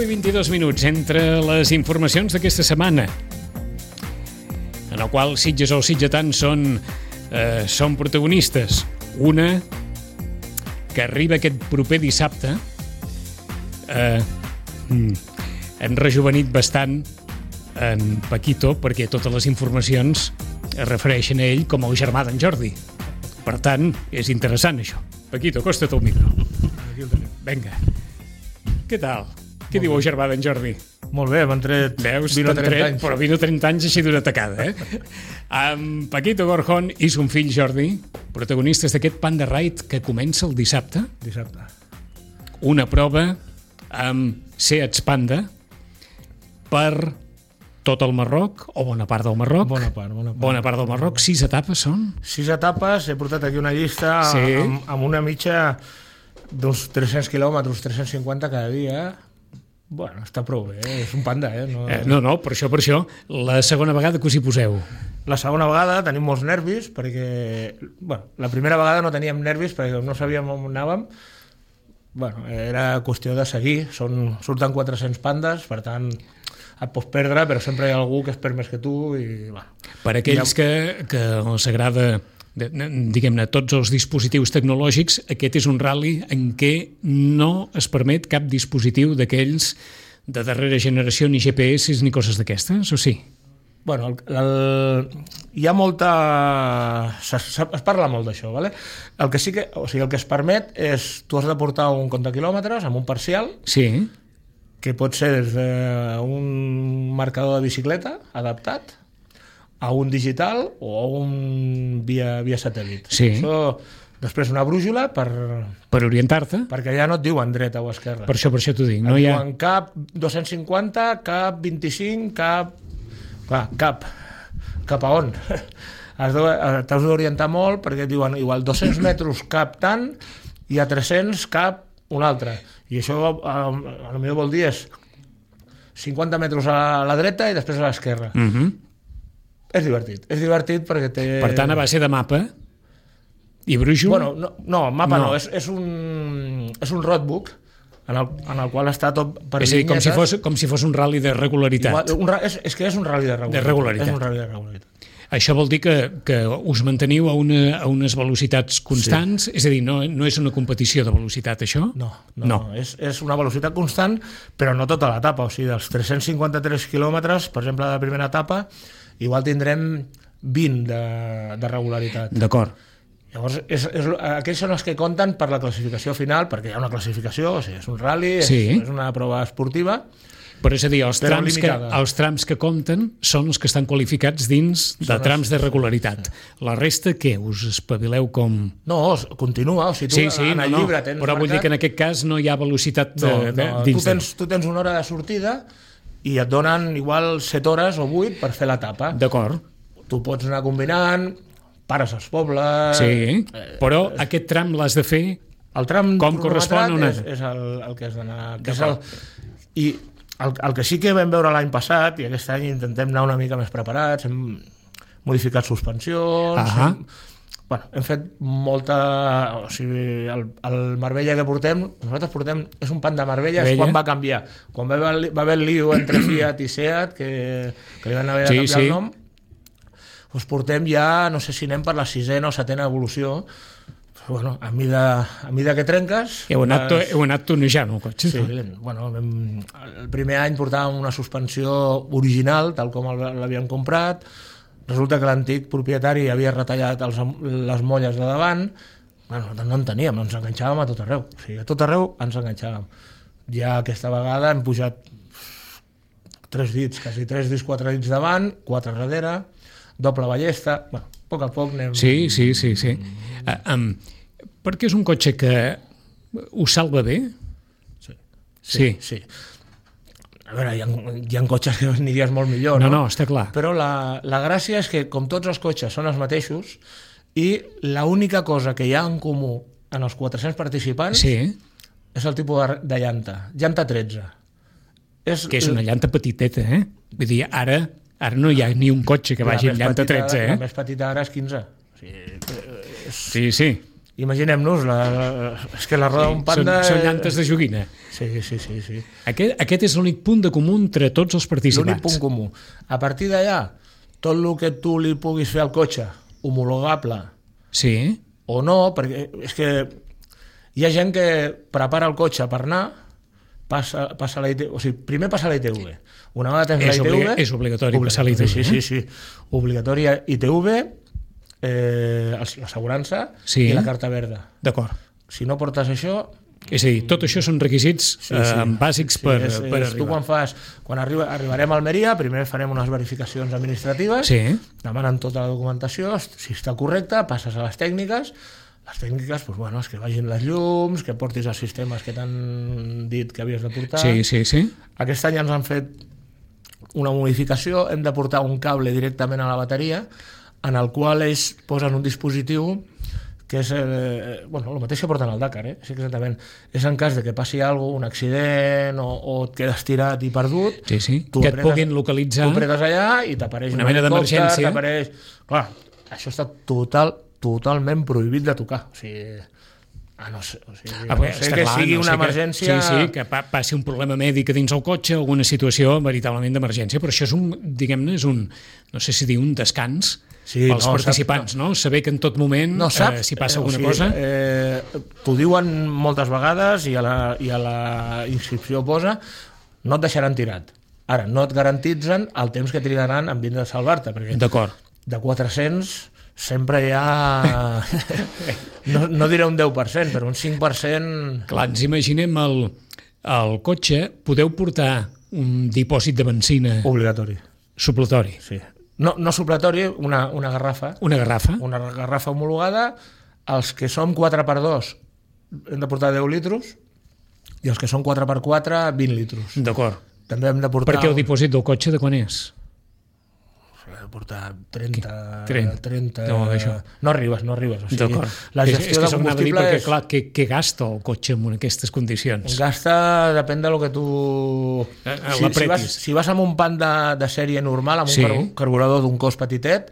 10:22 entre les informacions d'aquesta setmana, en el qual Sitges o Sitgetans són protagonistes. Una que arriba aquest proper dissabte, han rejuvenit bastant en Paquito, perquè totes les informacions es refereixen a ell com el germà d'en Jordi. Per tant, és interessant això. Paquito, acosta't al micro. Aquí el tenim. Vinga. Què tal? Què diu el germà d'en Jordi? Molt bé, m'han tret... Veus? Vino 30 anys. Però vino 30 anys així d'una tacada, Amb Paquito Gorjón i son fill Jordi, protagonistes d'aquest Panda Ride que comença el dissabte. Dissabte. Una prova amb Seats Panda per tot el Marroc, o bona part del Marroc. Bona part. Bona part del Marroc. 6 etapes són? 6 etapes, he portat aquí una llista amb una mitja d'uns 300 quilòmetres, 350 cada dia. Bueno, està prou bé, és un panda, No, per això. La segona vegada que us hi poseu? La segona vegada tenim molts nervis, perquè... Bueno, la primera vegada no teníem nervis perquè no sabíem on anàvem. Bueno, era qüestió de seguir. Surten 400 pandes, per tant, et pots perdre, però sempre hi ha algú que es perd més que tu. I, bueno, per aquells que els agrada, diguem-ne, tots els dispositius tecnològics, aquest és un ral·li en què no es permet cap dispositiu d'aquells de darrera generació, ni GPS ni coses d'aquestes, o sí? Bueno, hi ha molta... Es parla molt d'això, ¿vale? El que sí que... O sigui, el que es permet és... Tu has de portar un compte quilòmetres amb un parcial, sí, que pot ser des d'un marcador de bicicleta adaptat a un digital o a un via satèl·lit. Sí. Això, després una brújula per orientar-te. Perquè ja no et diuen dreta o esquerra. Per això t'ho dic. No et hi ha... diuen cap 250, cap 25, cap... Clar, cap a on? T'has d'orientar molt perquè et diuen igual 200 metres cap tant i a 300 cap un altre. I això potser vol dir és 50 metres a la dreta i després a l'esquerra. És divertit perquè té... Per tant, a base de mapa i brújula? Bueno, no, mapa no. És un roadbook en el qual està tot per és a dir, com si fos un ral·li de regularitat. És que és un ral·li de regularitat. És un ral·li de regularitat. Això vol dir que us manteniu a unes velocitats constants? Sí. És a dir, no és una competició de velocitat, això? No. És una velocitat constant, però no tota l'etapa. O sigui, dels 353 quilòmetres, per exemple, de la primera etapa, igual tindrem 20 de regularitat. D'acord. Llavors, aquells són els que compten per la classificació final, perquè hi ha una classificació, o sigui, és un ral·li, sí, és una prova esportiva. Però és a dir, els trams que compten són els que estan qualificats dins de trams de regularitat. La resta, què? Us espavileu com... No, continua. O sigui, en el llibre tens però marcat... vull dir que en aquest cas no hi ha velocitat dins. Tu tens una hora de sortida i et donen igual 7 hores o 8 per fer l'etapa. D'acord. Tu pots anar combinant, pares als pobles... Sí, però aquest tram l'has de fer el tram com correspon? És el que has d'anar... I el que sí que vam veure l'any passat, i aquest any intentem anar una mica més preparats, hem modificat suspensions, hem fet molta... O sigui, el Marbella que nosaltres portem, és un Panda Marbella, és quan va canviar. Quan va haver el lío entre Fiat i Seat, que li van haver de canviar el nom, doncs portem ja, no sé si anem per la 6ª o 7ª evolució. Bueno, a mida que trenques... Heu anat tonejant el cotxe? Sí, bueno, el primer any portàvem una suspensió original, tal com l'havíem comprat. Resulta que l'antic propietari havia retallat les molles de davant. Bueno, no en teníem, ens enganxàvem a tot arreu. O sigui, a tot arreu ens enganxàvem. Ja aquesta vegada hem pujat 3 dits, quasi 3 dits, 4 dits davant, 4 darrere, doble ballesta... Bueno, a poc anem... Sí. Perquè és un cotxe que us salva bé? Sí. A veure, hi ha cotxes que aniries molt millor, no? No, està clar. Però la gràcia és que, com tots els cotxes són els mateixos, i l'única cosa que hi ha en comú en els 400 participants és el tipus de llanta. Llanta 13. Que és una llanta petiteta, eh? Vull dir, ara no hi ha ni un cotxe que vagi amb llanta 13, eh? La més petita ara és 15. Sí. imaginem-nos, és que la roda d'un Panda... Són llantes de joguina. Sí. Aquest és l'únic punt de comú entre tots els participants. L'únic punt comú. A partir d'allà, tot el que tu li puguis fer al cotxe, homologable, sí, o no, perquè és que hi ha gent que prepara el cotxe per anar, passa la ITV, o sigui, primer passa la ITV. Una vegada tens la ITV... És obligatori passar la ITV. Sí. Obligatori ITV, l'assegurança i la carta verda. D'acord. Si no portes això... És a dir, tot això són requisits bàsics per arribar. Tu quan arribarem a Almeria, primer farem unes verificacions administratives, demanen tota la documentació, si està correcta, passes a les tècniques, és que vagin les llums, que portis els sistemes que t'han dit que havies de portar. Sí. Aquest any ens han fet una modificació, hem de portar un cable directament a la bateria, en el qual ells posen un dispositiu que és, el mateix que porten al Dakar, és exactament, és en cas de que passi alguna cosa, un accident o et quedes tirat i perdut, que et puguin localitzar, tu apretes allà i t'apareix una mena d'emergència. Clar, això està totalment prohibit de tocar, o sigui, no sé que sigui una emergència... Sí, que passi un problema mèdic dins el cotxe, alguna situació veritablement d'emergència, però això és no sé si dir un descans pels participants, no? Saber que en tot moment, si passa alguna cosa... T'ho diuen moltes vegades i a la inscripció posa no et deixaran tirat. Ara, no et garantitzen el temps que trigaran en vindre a salvar-te, perquè de 400 sempre hi ha... no diré un 10%, però un 5%... Clar, ens imaginem el cotxe, podeu portar un dipòsit de benzina... Obligatori. Supletori. Sí. No supletori, una garrafa. Una garrafa. Una garrafa homologada. Els que som 4x2 hem de portar 10 litros i els que són 4x4, 20 litros. D'acord. També hem de portar... Perquè el dipòsit del cotxe de quan és? He de portar 30... No arribes. O sigui, la gestió de combustible és... Clar, què gasta el cotxe en aquestes condicions? Gasta, depèn de lo que tu... Si vas amb un Panda de sèrie normal, amb un carburador d'un cos petitet,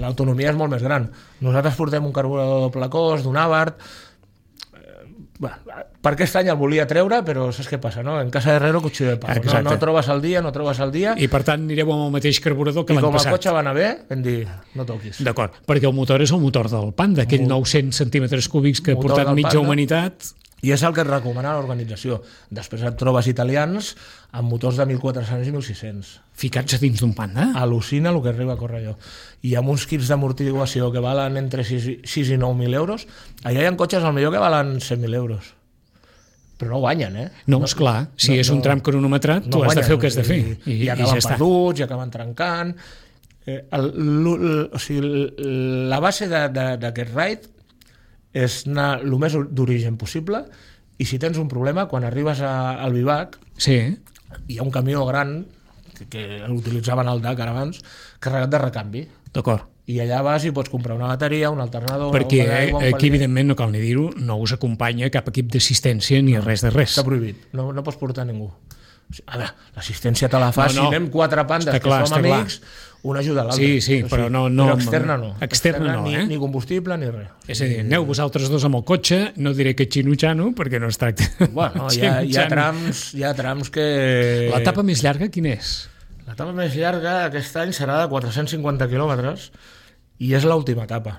l'autonomia és molt més gran. Nosaltres portem un carburador doble cos, d'un Abarth. Per aquest any el volia treure, però saps què passa, no? En casa d'Herrero, cuchillo de palo. No trobes el dia. I per tant anireu amb el mateix carburador que l'any passat. I com el cotxe va anar bé, vam dir, no toquis. D'acord, perquè el motor és el motor del Panda, aquell 900 centímetres cúbics que ha portat mitja humanitat. I és el que et recomana l'organització. Després et trobes italians amb motors de 1.400 i 1.600. Ficats a dins d'un Panda? Al·lucina el que arriba a córrer allò. I amb uns kits d'amortiguació que valen entre 6 i 9.000 euros, allà hi ha cotxes al millor que valen 100.000 euros. Però no guanyen, No, esclar, si és un tram cronometrat, tu has de fer el que has de fer. I acaben perduts, i acaben trencant. La base d'aquest raid és anar el més d'origen possible, i si tens un problema, quan arribes al Vivac, hi ha un camió gran que l'utilitzaven al Dakar abans, carregat de recanvi. D'acord. I allà vas i pots comprar una bateria, un alternador... Perquè aquí, evidentment, no cal ni dir-ho, no us acompanya cap equip d'assistència ni res de res. Està prohibit, no pots portar ningú. A veure, l'assistència te la fa si anem 4 pandes que som amics, una ajuda a l'altre. Sí, però no... Però externa no. Externa no, ni combustible ni res. És a dir, aneu vosaltres dos amb el cotxe, no diré que xino-xano, perquè no es tracta... Bueno, hi ha trams que... L'etapa més llarga quina és? L'etapa més llarga aquest any serà de 450 quilòmetres i és l'última etapa.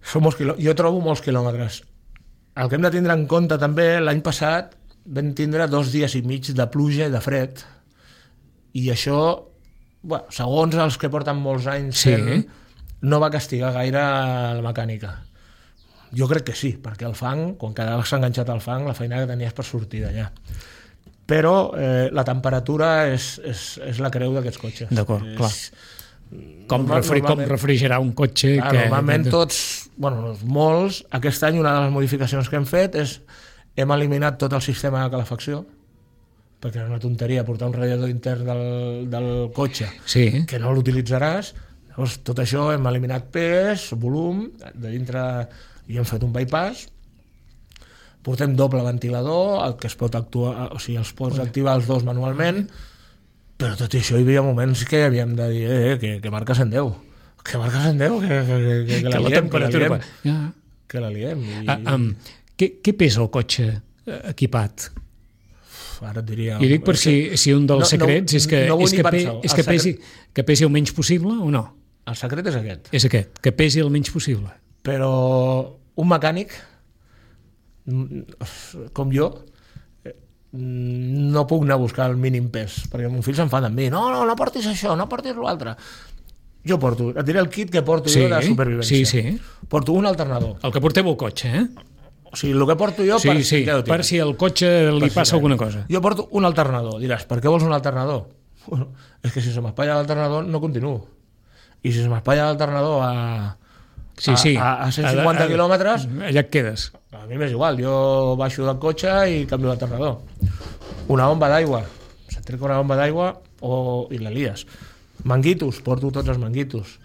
Jo trobo molts quilòmetres. El que hem de tindre en compte també, l'any passat vam tindre 2 dies i mig de pluja i de fred, i això, segons els que porten molts anys fent, no va castigar gaire la mecànica. Jo crec que sí, perquè el fang, quan quedaves enganxat al fang, la feina que tenies per sortir d'allà. Però la temperatura és la creu d'aquests cotxes. D'acord, clar. Com refrigerar un cotxe... Normalment molts, aquest any una de les modificacions que hem fet és hem eliminat tot el sistema de calefacció, perquè era una tonteria portar un radiador intern del cotxe que no l'utilitzaràs. Llavors, tot això hem eliminat pes, volum, de dintre, i hem fet un bypass. Portem doble ventilador, el que es pot actuar, o sigui, els pots activar els dos manualment, però tot i això hi havia moments que havíem de dir que marca 110, Que marques en 10, que la liem, que la liem. Què pesa el cotxe equipat? Ara et diria... I dic per si un dels secrets és que pesi el menys possible o no? El secret és aquest. És aquest, que pesi el menys possible. Però un mecànic, com jo, no puc anar a buscar el mínim pes, perquè mon fill s'enfada amb mi. No portis això, no portis l'altre. Jo porto, et diré el kit que porto jo de supervivència. Sí. Porto un alternador. El que porteu al cotxe, O sigui, el que porto jo per si al cotxe li passa alguna cosa. Jo porto un alternador. Diràs, per què vols un alternador? Bueno, és que si se m'espatlla l'alternador no continuo. I si se m'espatlla l'alternador a 150 quilòmetres... Allà et quedes. A mi m'és igual, jo baixo del cotxe i canvio l'alternador. Una bomba d'aigua. Se't trec una bomba d'aigua i la lies. Manguitos, porto tots els manguitos.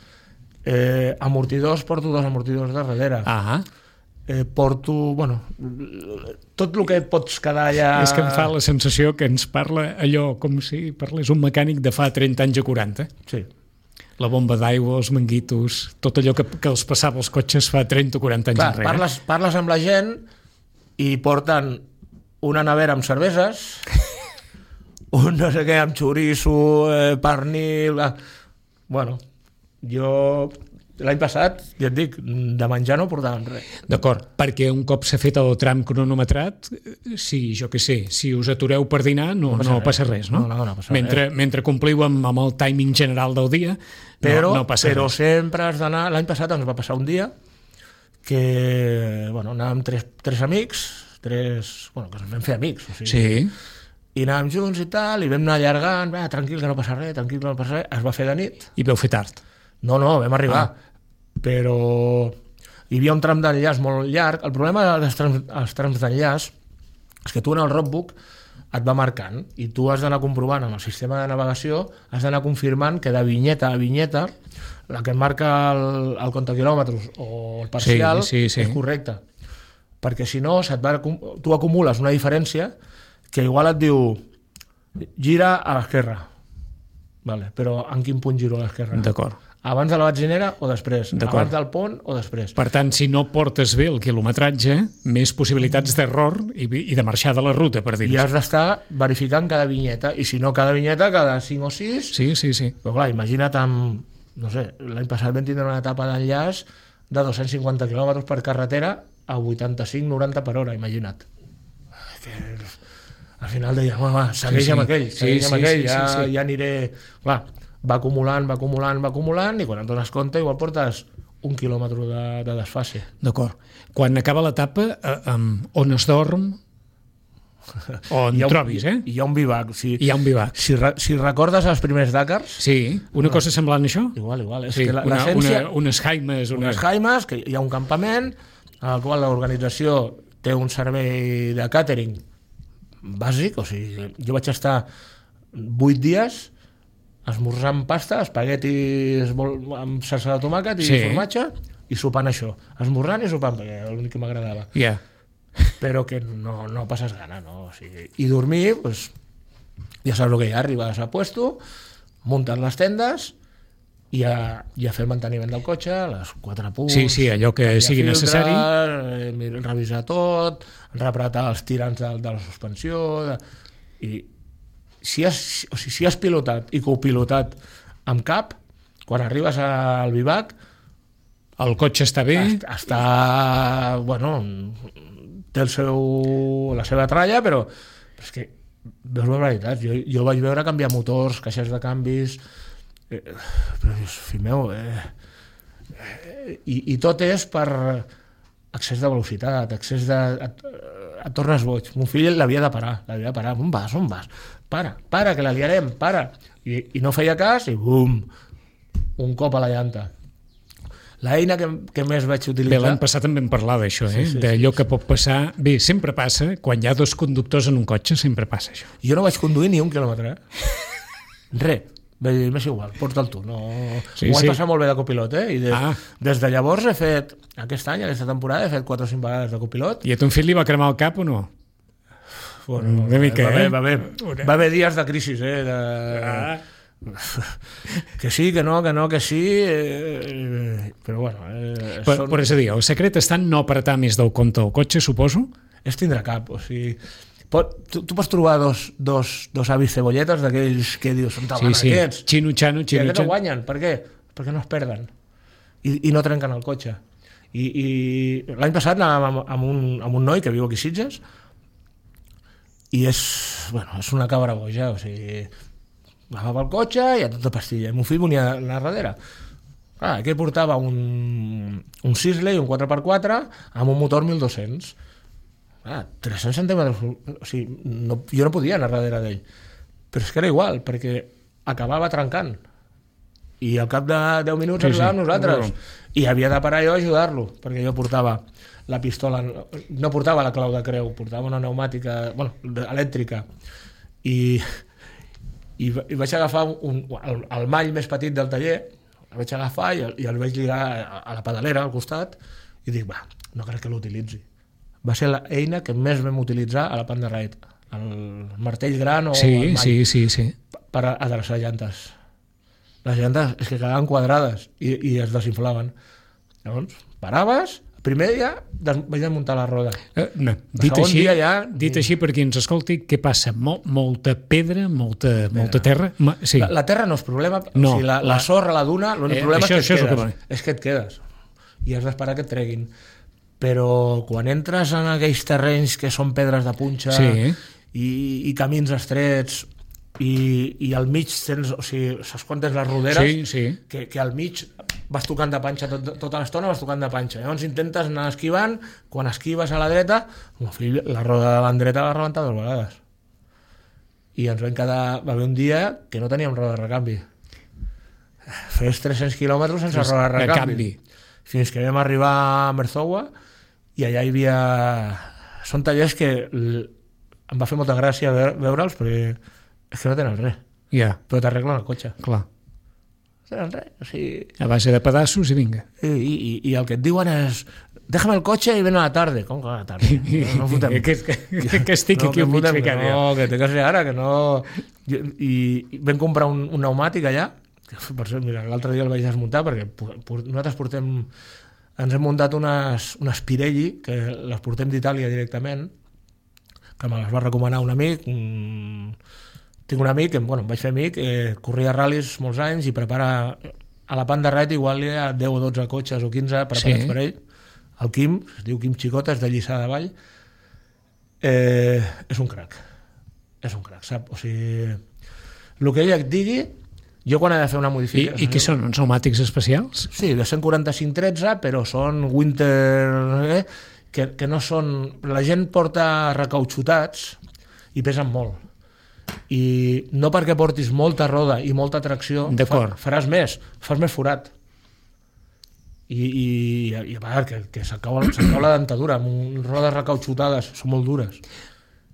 Amortidors, porto 2 amortidors de darrere. Porto, tot el que et pots quedar allà... És que em fa la sensació que ens parla allò com si parlés un mecànic de fa 30 anys a 40. Sí. La bomba d'aigua, els manguitos, tot allò que els passava als cotxes fa 30 o 40 anys enrere. Parles amb la gent i porten una nevera amb cerveses, un no sé què amb xoriço, pernil... Bueno, jo l'any passat, ja et dic, de menjar no portàvem res. D'acord, perquè un cop s'ha fet el tram cronometrat, si us atureu per dinar no passa res, no? No passa res. Mentre compliu amb el timing general del dia, no passa res. Però sempre has d'anar... L'any passat ens va passar un dia que anàvem tres amics, que ens vam fer amics. O sigui, sí. I anàvem junts i tal, i vam anar allargant, tranquil, que no passa res, es va fer de nit. I vau fer tard? No, vam arribar. Però hi havia un tram d'enllaç molt llarg. El problema dels trams d'enllaç és que tu en el roadbook et va marcant i tu has d'anar comprovant amb el sistema de navegació, has d'anar confirmant que de vinyeta a vinyeta la que et marca el comptaquilòmetres o el parcial és correcte. Perquè si no, tu acumules una diferència que igual et diu gira a l'esquerra. Vale, però en quin punt giro a l'esquerra? D'acord. Abans de la benzinera o després? Abans del pont o després? Per tant, si no portes bé el quilometratge, més possibilitats d'error i de marxar de la ruta, per dir-ho. I has d'estar verificant cada vinyeta, i si no cada vinyeta, cada 5 o 6... Sí. Però clar, imagina't l'any passat vam tindre una etapa d'enllaç de 250 km per carretera a 85-90 per hora, imagina't. Al final deia, segueix amb aquell, ja aniré... Clar, va acumulant, i quan et dones compte igual portes 1 quilòmetre de desfase. D'acord. Quan acaba l'etapa, on es dorm, on trobis, Hi ha un bivac. Hi ha un bivac. Si recordes els primers Dakars... Sí, una cosa semblant a això? Igual. Sí, unes jaimes. Unes jaimes, que hi ha un campament, en el qual l'organització té un servei de càtering bàsic, o sigui, jo vaig estar 8 dies esmorzant pasta, espaguetis amb salsa de tomàquet i formatge, i sopant això. Esmorzant i sopant, perquè era l'únic que m'agradava. Però que no passes gana, no? O sigui, i dormir, ja saps el que hi ha, arribes a puesto, muntes les tendes i a fer el manteniment del cotxe, les 4 punts... Sí, allò que sigui necessari. Revisar tot, repretar els tirants de la suspensió... I si has pilotat i copilotat amb cap, quan arribes al bivac el cotxe està bé, té la seva tralla, però és que veus la veritat, jo vaig veure canviar motors, caixes de canvis, però fill meu, i tot és per excés de velocitat, et tornes boig. Mon fill l'havia de parar. On vas? Para, que la liarem, para. I no feia cas i bum, un cop a la llanta. L'eina que més vaig utilitzar... Bé, l'any passat també vam parlar d'això, d'allò que pot passar... Bé, sempre passa, quan hi ha 2 conductors en un cotxe, sempre passa això. Jo no vaig conduir ni 1 quilòmetre, Res. M'és igual, porta'l tu. Ho vaig passar molt bé de copilot, I des de llavors he fet, aquesta temporada, he fet 4 o 5 vegades de copilot. I a ton fill li va cremar el cap o no? Una mica, va haver dies de crisi, que sí, que no, que sí, però bueno... Però és a dir, el secret està en no apretar més del compte el cotxe, suposo? És tindre cap, o sigui... Tu pots trobar dos avis cebolletes d'aquells que dius, on van aquests? Xino-xano, i aquests no guanyen, per què? Perquè no es perden i no trenquen el cotxe. I l'any passat anàvem amb un noi que viu aquí a Sitges i és una cabra boja, o sigui, agafava el cotxe i a tota pastilla, i mon fill venia a darrere. Aquí portava un Sisley, un 4x4 amb un motor 1200. 300 centímetres, o sigui, jo no podia anar darrere d'ell, però és que era igual, perquè acabava trencant i al cap de 10 minuts arribàvem nosaltres i havia de parar jo a ajudar-lo, perquè jo portava la pistola, no portava la clau de creu, portava una pneumàtica elèctrica i vaig agafar el mall més petit del taller, el vaig agafar i el vaig lligar a la pedalera al costat i dic, no crec que l'utilitzi. Va ser l'eina que més vam utilitzar a la Panda Ride, el martell gran o el mall, sí. per adreçar llantes. Les llantes és que quedaven quadrades i es desinflaven. Llavors, paraves, el primer dia vaig desmuntar la roda. Dit així, per qui ens escolti, què passa? Molta pedra, molta terra? Sí. La terra no és problema, no. O sigui, la sorra, la duna, l'únic problema és que et quedes i has d'esperar que et treguin. Però quan entres en aquells terrenys que són pedres de punxa i camins estrets i al mig tens, o sigui, saps quan tens les roderes? Que al mig vas tocant de panxa tota l'estona, vas tocant de panxa. Llavors intentes anar esquivant, quan esquives a la dreta, la roda de la dreta va rebentar 2 vegades. I ens va haver un dia que no teníem roda de recanvi. Fes 300 quilòmetres sense roda de recanvi. Fins que vam arribar a Merzowa i allà hi havia... Són tallers que em va fer molta gràcia veure'ls perquè és que no tenen res. Però t'arreglen el cotxe. Clar. No tenen res. O sigui... A base de pedaços i vinga. I el que et diuen és déjame el cotxe i ven a la tarde. Com que a la tarde? No fotem. Que estic aquí un mig ficat. No, que té que ser ara, que no... I vam comprar un pneumàtic allà, que per cert, mira, l'altre dia el vaig desmuntar perquè nosaltres ens hem muntat unes Pirelli que les portem d'Itàlia directament, que me les va recomanar un amic. Tinc un amic que em vaig fer amic, corria ral·lis molts anys i prepara a la Panda Ride igual hi ha 10 o 12 cotxes o 15 preparats per ell. El Quim, es diu Quim Xicota, és de Lliçà de Vall. És un crac, sap? O sigui, el que ella et digui, jo quan he de fer una modificació... I què són, uns pneumàtics especials? Sí, de 145-13, però són winter... que no són... La gent porta recautxutats i pesen molt. I no perquè portis molta roda i molta tracció faràs més, fas més forat. I a part, que s'acau la dentadura amb rodes recautxutades, són molt dures.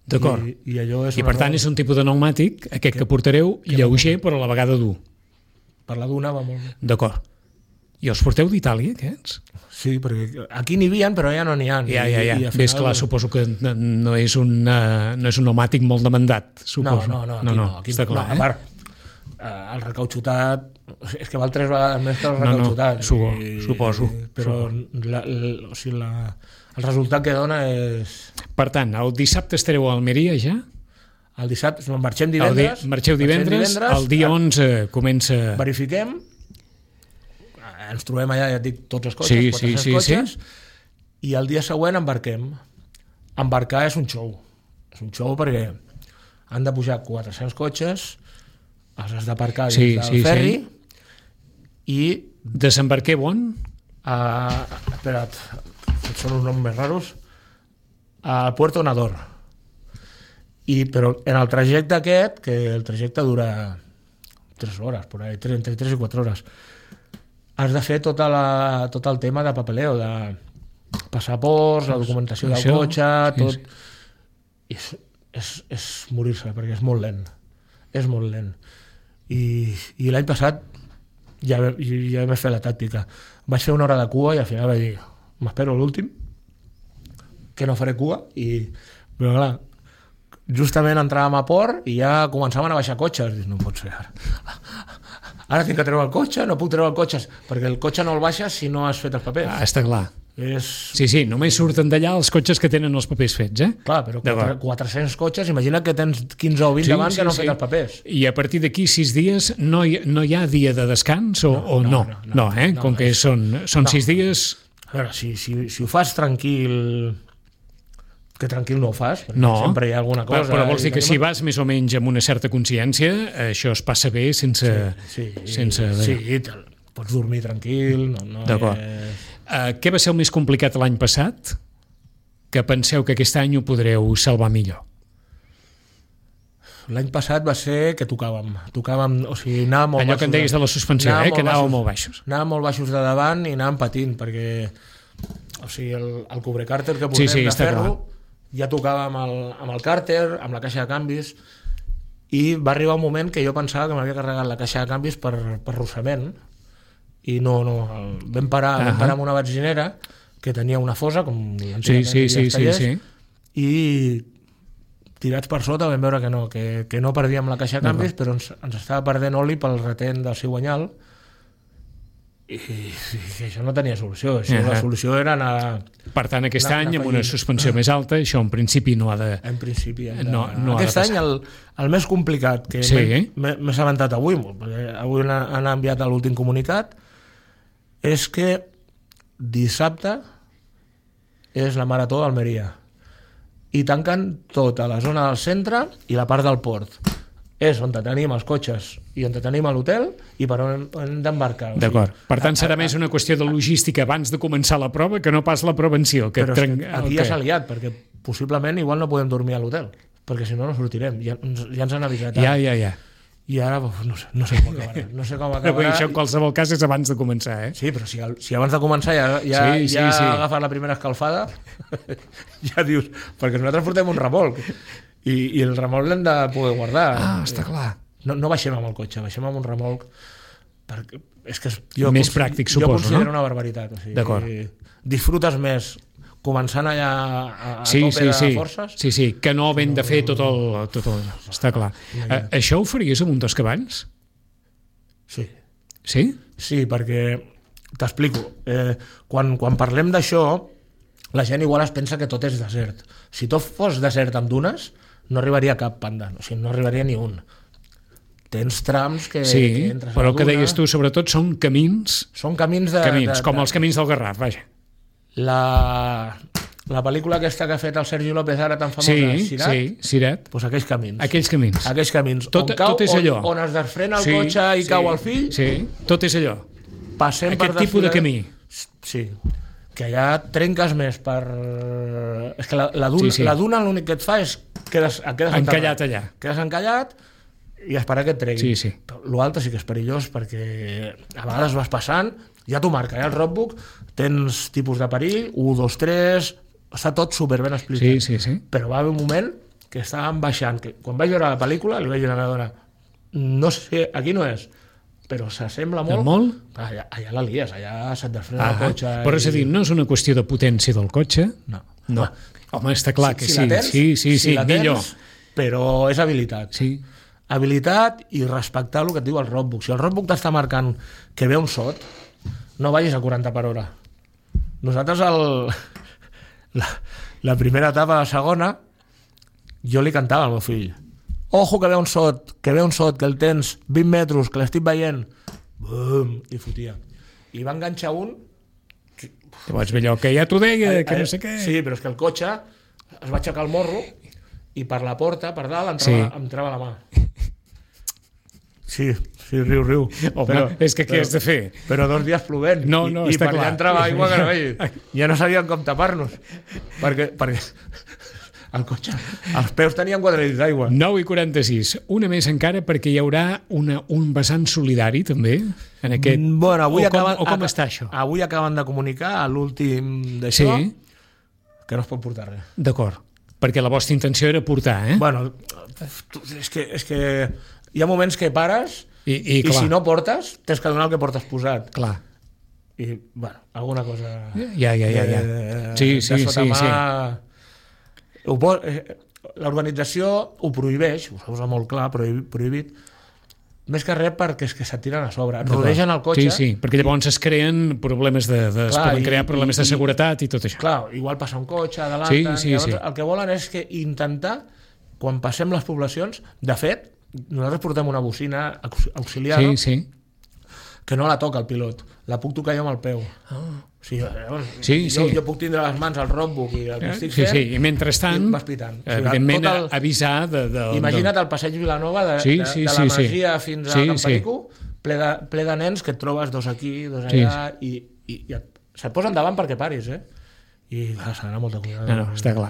D'acord. I per tant és un tipus de pneumàtic, aquest que portareu, lleuger però a la vegada dur. Per la duna va molt bé. D'acord. I els porteu d'Itàlia, aquests? Sí, perquè aquí n'hi havia, però ja no n'hi ha. Ja. Ves clar, suposo que no és un pneumàtic molt demandat, suposo. No, aquí està clar. A part, el recautxutat és que val 3 vegades més que el recautxutat. Suposo. Però el resultat que dona és... Per tant, el dissabte estareu a Almeria ja? El dissabte, marxem divendres. Marxeu divendres, el dia 11 comença... Verifiquem, ens trobem allà, ja et dic, tots els cotxes, 400 cotxes, i el dia següent embarquem. Embarcar és un show. És un show perquè han de pujar 400 cotxes, els has d'aparcar dins del ferri, i... Desembarqueu on? Espera't, són uns noms més raros, al Puerto Nador. Però en el trajecte aquest, que el trajecte dura 3 hores, entre 3 i 4 hores, has de fer tot el tema de papeleo, de passaports, la documentació del cotxe, tot. És morir-se, perquè és molt lent. És molt lent. I l'any passat ja vaig fer la tàctica. Vaig fer 1 hora de cua i al final vaig dir m'espero l'últim, que no faré cua, però clar, justament entràvem a port i ja començaven a baixar cotxes. Dius, no pot ser ara. ara tinc que treure el cotxe, no puc treure el cotxe, perquè el cotxe no el baixes si no has fet els papers. Està clar. Sí, només surten d'allà els cotxes que tenen els papers fets, Clar, però 400 cotxes, imagina que tens 15 o 20 davant que no han fet els papers. I a partir d'aquí 6 dies no hi ha dia de descans o no? No, com que són 6 dies... A veure, si ho fas tranquil... Que tranquil no ho fas, perquè sempre hi ha alguna cosa... Però vols dir que si vas més o menys amb una certa consciència, això es passa bé sense... Sí, pots dormir tranquil... D'acord. Què va ser el més complicat l'any passat? Que penseu que aquest any ho podreu salvar millor? L'any passat va ser que tocàvem, o sigui, anàvem molt allò que en deies de la suspensió, que anàvem molt baixos. Anàvem molt baixos de davant i anàvem patint, perquè o sigui, el cubrecàrter que posem de ferro ja tocava amb el càrter, amb la caixa de canvis, i va arribar un moment que jo pensava que m'havia carregat la caixa de canvis per rossament, i no, vam parar amb una benzinera que tenia una fosa, com i tirats per sota vam veure que no perdíem la caixa de canvis, però ens estava perdent oli pel retent del cigüenyal, i que això no tenia solució. La solució era anar... Per tant, aquest any, amb una suspensió més alta, això en principi no ha de... En principi aquest any el més complicat, que m'he assabentat avui, perquè avui han enviat l'últim comunicat, és que dissabte és la Marató d'Almeria i tanquen tota la zona del centre i la part del port. És on tenim els cotxes i on tenim l'hotel i per on hem d'embarcar. D'acord. Per tant, serà més una qüestió de logística abans de començar la prova que no pas la prevenció. Però aquí ja s'ha liat, perquè possiblement igual no podem dormir a l'hotel, perquè si no sortirem. Ja ens han avisat. Ja. I ara no sé com acabarà. No sé com acabarà. Això en qualsevol cas és abans de començar, Sí, però si abans de començar ja agafar la primera escalfada, ja dius, perquè nosaltres portem un remolc i el remolc l'hem de poder guardar. Està clar. No baixem amb el cotxe, baixem amb un remolc, perquè és que més pràctic, suposo, no? Jo considero una barbaritat. D'acord. Disfrutes més començant allà a tope de forces. Sí, que no havent de fer tot el... Està clar. Això ho faries amb un dos cavalls? Sí. Sí? Sí, perquè t'explico. Quan parlem d'això, la gent igual es pensa que tot és desert. Si tot fos desert amb dunes, no arribaria cap panda, o sigui, no arribaria ni un. Tens trams que entres a la duna... Sí, però el que deies tu, sobretot, són camins... Són camins com els camins del Garraf, vaja. La pel·lícula aquesta que ha fet el Sergi López ara tan famosa, Sirat, doncs aquells camins. Aquells camins. Tot és allò. On es desfrena el cotxe i cau el fill. Sí, tot és allò. Passem aquest tipus de camí. Sí, que allà trenques més per... És que la duna l'únic que et fa és quedes encallat allà. Quedes encallat i esperar que et tregui. Sí. L'altre sí que és perillós perquè a vegades vas passant, ja t'ho marca, el roadbook, tens tipus de perill, 1, 2, 3, està tot superben explicat. Sí. Però va haver un moment que estàvem baixant, que quan vaig veure la pel·lícula li vaig dir a la meva dona, no sé, aquí no és, però s'assembla molt? Allà la lies, allà se't desfrena el cotxe. Però és a dir, no és una qüestió de potència del cotxe? No. Home, està clar que sí. Sí, millor. Però és habilitat. Sí. Habilitat i respectar el que et diu el roadbook. Si el roadbook t'està marcant que ve un sot, no vagis a 40 per hora. Nosaltres la primera etapa, la segona, jo li cantava al meu fill, ojo que ve un sot, que el tens 20 metres, que l'estic veient, bum, i fotia. I va enganxar un... Llavors allò que ja t'ho deia, que no sé què... Sí, però és que el cotxe es va aixecar el morro i per la porta, per dalt, em trava la mà. Sí, riu. Home, és que què has de fer? Però 2 dies plovent. No, i està per clar. allà entrava aigua que no veia. Ja no sabíem com tapar-nos. Perquè el cotxe, els peus tenien 4 litres d'aigua. 9:46. Una més encara perquè hi haurà un vessant solidari també en aquest... Bueno, com està això? Avui acaben de comunicar a l'últim d'això que no es pot portar res. D'acord. Perquè la vostra intenció era portar, Bueno, és que hi ha moments que pares i si no portes, tens que donar el que portes posat. Clar. I, bueno, alguna cosa... Ja. Sí. L'organització ho prohibeix, ho posa molt clar, prohibit, més que res perquè és que se't tiren a sobre, et rodegen el cotxe. Sí, perquè llavors es creen problemes es poden crear problemes de seguretat i tot això. Clar, igual passa un cotxe, adelanten, llavors el que volen és que intentar, quan passem les poblacions, de fet, nosaltres portem una bocina auxiliar, que no la toca el pilot, la puc tocar jo amb el peu. Jo puc tindre les mans al roadbook i el que estic fent, i mentrestant, evidentment, avisar imagina't el passeig Vilanova de la Masia fins a Can Perico, ple de nens que et trobes dos aquí, dos allà, i se't posen davant perquè paris, i s'ha d'anar molt de cuidado. No, està clar.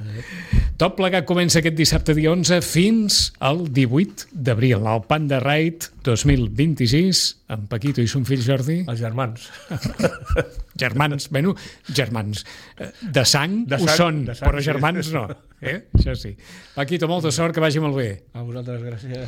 Tot plegat comença aquest dissabte dia 11 fins al 18 d'abril, al Panda Ride 2026, amb Paquito i son fill Jordi. Els germans. Germans. De sang ho són, però germans no. Això sí. Paquito, molta sort, que vagi molt bé. A vosaltres, gràcies.